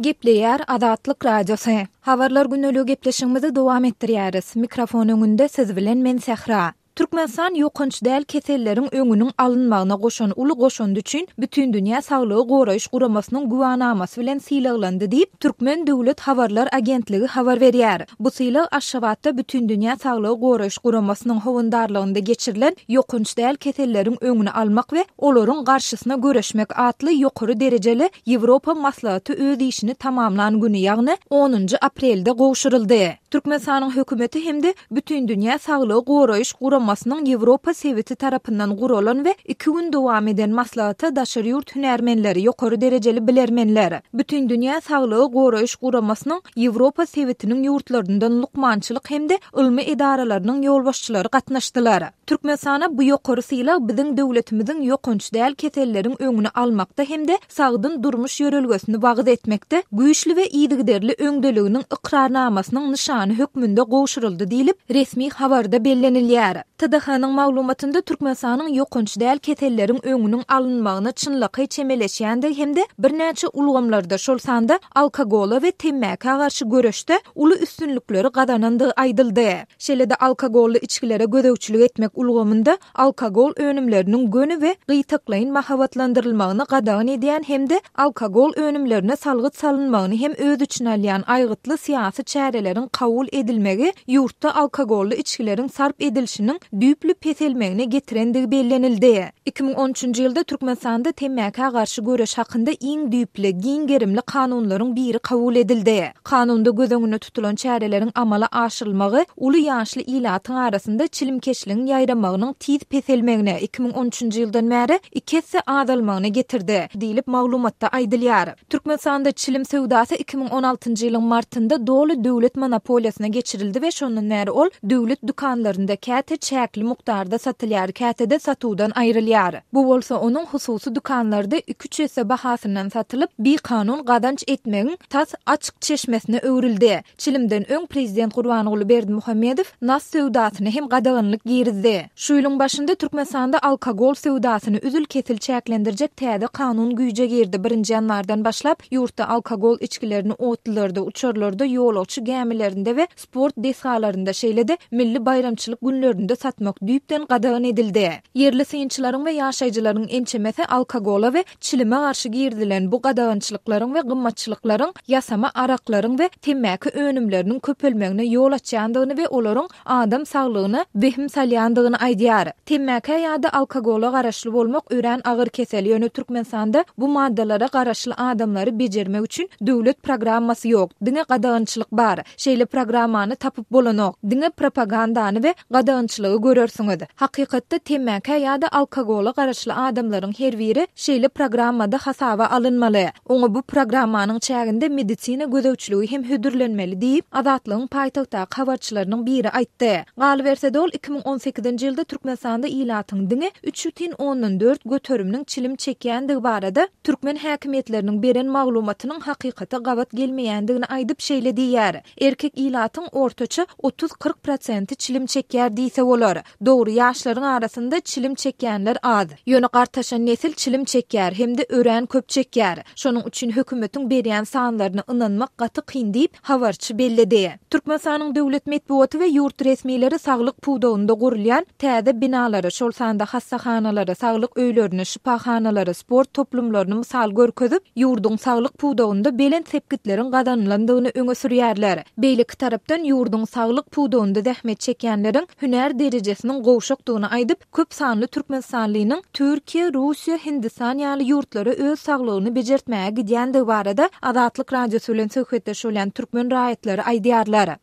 Gepleýär Azatlyk Radiosy. Habarlar gündeligi gepleşigimizi dowam etdirýäris. Mikrofon öňünde siz bilen men Sähra. Türkmenistan ýokanç däl keselleriň öňüniň alynmagyna goşan uly goşandy üçin Bütindünýä Saglygy Goraýyş Guramasynyň güwänamasy bilen sylaglandy diýip, Türkmen döwlet habarlar agentligi habar berýär. Bu sylag Aşgabatda Bütindünýä Saglygy Goraýyş Guramasynyň howandarlygynda geçirilen Ýokanç däl keselleriň öňüni almak we olaryň garşysyna göreşmek atly ýokary derejeli Ýewropa maslahaty öz işini tamamlan güni, ýagny onunjy aprelde gowşuryldy. Türkmenistanyň hökümeti hem-de Bütindünýä Saglygy Goraýyş Guramasynyň Ýewropa sebiti tarapyndan guralan we iki gün dowam eden maslahata daşary ýurt hünärmenleri, ýokary derejeli bilermenler, Bütindünýä Saglygy Goraýyş Guramasynyň Ýewropa sebitiniň ýurtlaryndan lukmançylyk hem-de ylmy edaralarynyň ýolbaşçylary gatnaşdylar. Türkmenistana bu ýokary sylag biziň döwletimiziň ýokanç däl keselleriň öňüni almakda hem-de sagdyn durmuş ýörelgesini wagyz etmekde güýçli we yzygiderli öňdeliginiň ykrarnamasynyň nyşany hökmünde gowşuryldy diýlip, resmi habarda bellenilýär. TDH-nyň maglumatynda Türkmenistanyň ýokanç däl keselleriň öňüniň alynmagyna çynlakaý çemeleşýändigi hem-de birnäçe ulgamlarda, şol sanda alkogola we temmäkä garşy göreşde uly üstünlikleri gazanandygy aýdyldy. Şeýle-de alkogolly içgilere gözegçilik etmek ulgamynda alkogol önümleriniň göni we gytaklaýyn mahabatlandyrylmagyny gadagan edýän hem-de alkogol önümlerine salgyt salynmagyny hem öz içine alýan aýgytly syýasy çäreleriň kabul edilmegi ýurtda alkogolly içgileriň sarp edilişiniň düýpli peselmegine getirendigi bellenildi. 2013-nji ýylda Türkmenistanda temmäkä garşy göreş hakynda iň düýpli, giň gerimli kanunlaryň biri kabul edildi. Kanunda göz öňünde tutulan çäreleriň amala aşyrylmagy uly ýaşly ilatyň arasynda çilimkeşligiň ýaýramagynyň tiz peselmegine, 2013-nji ýyldan bäri iki esse azalmagyna getirdi, diýlip maglumatda aýdylýar. Türkmenistanda çilim söwdasy 2016-njy ýylyň martynda doly döwlet monopoliýasyna geçirildi we şondan bäri ol döwlet dükanlarynda käte çäkli mukdarda satylýar, käte-de satuwdan aýrylýar. Bu bolsa onuň hususy dükanlarda iki-üç esse bahasyndan satylyp, bikanun gazanç etmegiň tas açyk çeşmesine öwrüldi. Çilimden öň prezident Gurbanguly Berdimuhamedow nas söwdasyna hem gadaganlyk girizdi. Şu ýylyň başynda Türkmenistanda alkogol söwdasyny üzül-kesil çäklendirjek täze kanun güýje girdi. Birinji ýanwardan başlap, ýurtda alkogol içgilerini otlularda, uçarlarda, ýolagçy gämilerinde we sport desgalarynda, şeýle-de milli baýramçylyk günlerinde satmak düýpden gadagan edildi. Ýerli synçylaryň we ýaşaýjylaryň ençemesi alkogola we çilime garşy girizilen bu gadagançylyklaryň we gymmatçylyklaryň ýasama araklaryň we temmäki önümleriniň köpelmegine ýol açýandygyny we olaryň adam saglygyna wehim salýandygyny aýdýar. Temmäkä ýa-da alkogola garaşly bolmak örän agyr kesel, ýöne Türkmenistanda bu maddalara garaşly adamlary bejermek üçin döwlet programmasy ýok, diňe gadagançylyk bar. Şeýle programmany tapyp bolanok, diňe propagandany we gadagançylygy görersiňiz. Hakykatda temmäkä ýa-da alkogola garaşly adamlaryň her biri şeýle programmada hasaba alynmaly. Oňa bu programmanyň çäginde medisina gözegçiligi hem hödürlenmeli diýip, Azatlygyň paýtagtdaky habarçylarynyň biri aýtdy. Galyberse-de, ol 2018-nji ýylda Türkmenistanda ilatyň diňe 3,4 göteriminiň çilim çekýändigi barada türkmen häkimiýetleriniň beren maglumatynyň hakykata gabat gelmeýändigini aýdyp, şeýle diýýär, Erkek ilatyň ortaça otuz-kyrk prosenti çilim çekýär diýse bolar. Dogry, ýaşlaryň arasynda çilim çekýänler az. Ýöne gartaşan nesil çilim çekýär hem-de örän köp çekýär. Şonuň üçin hökümetiň berýän sanlaryna ynanmak gaty kyn diýip, habarçy belledi. Türkmenistanyň döwlet metbugaty we ýurt resmileri saglyk pudagynda gurulýan täze binalary, şol sanda hassahanalary, saglyk öýlerini, şypahanalary, sport toplumlaryny mysal görkezip, ýurduň saglyk pudagynda belent sepgitleriň gazanylandygyny öňe sürýärler. Beýleki tarapdan, ýurduň saglyk pudagynda zähmet çekýänleriň hünär derejesiniň gowşakdygyny aýdyp, köp sanly türkmenistanlynyň Türkiýe, Russiýa, Hindistan ýaly ýurtlara öz saglygyny bejertmäge gidýändigi barada Azatlyk Radiosy bilen söhbetdeş bolýan türkmen raýatlary aýdýarlar.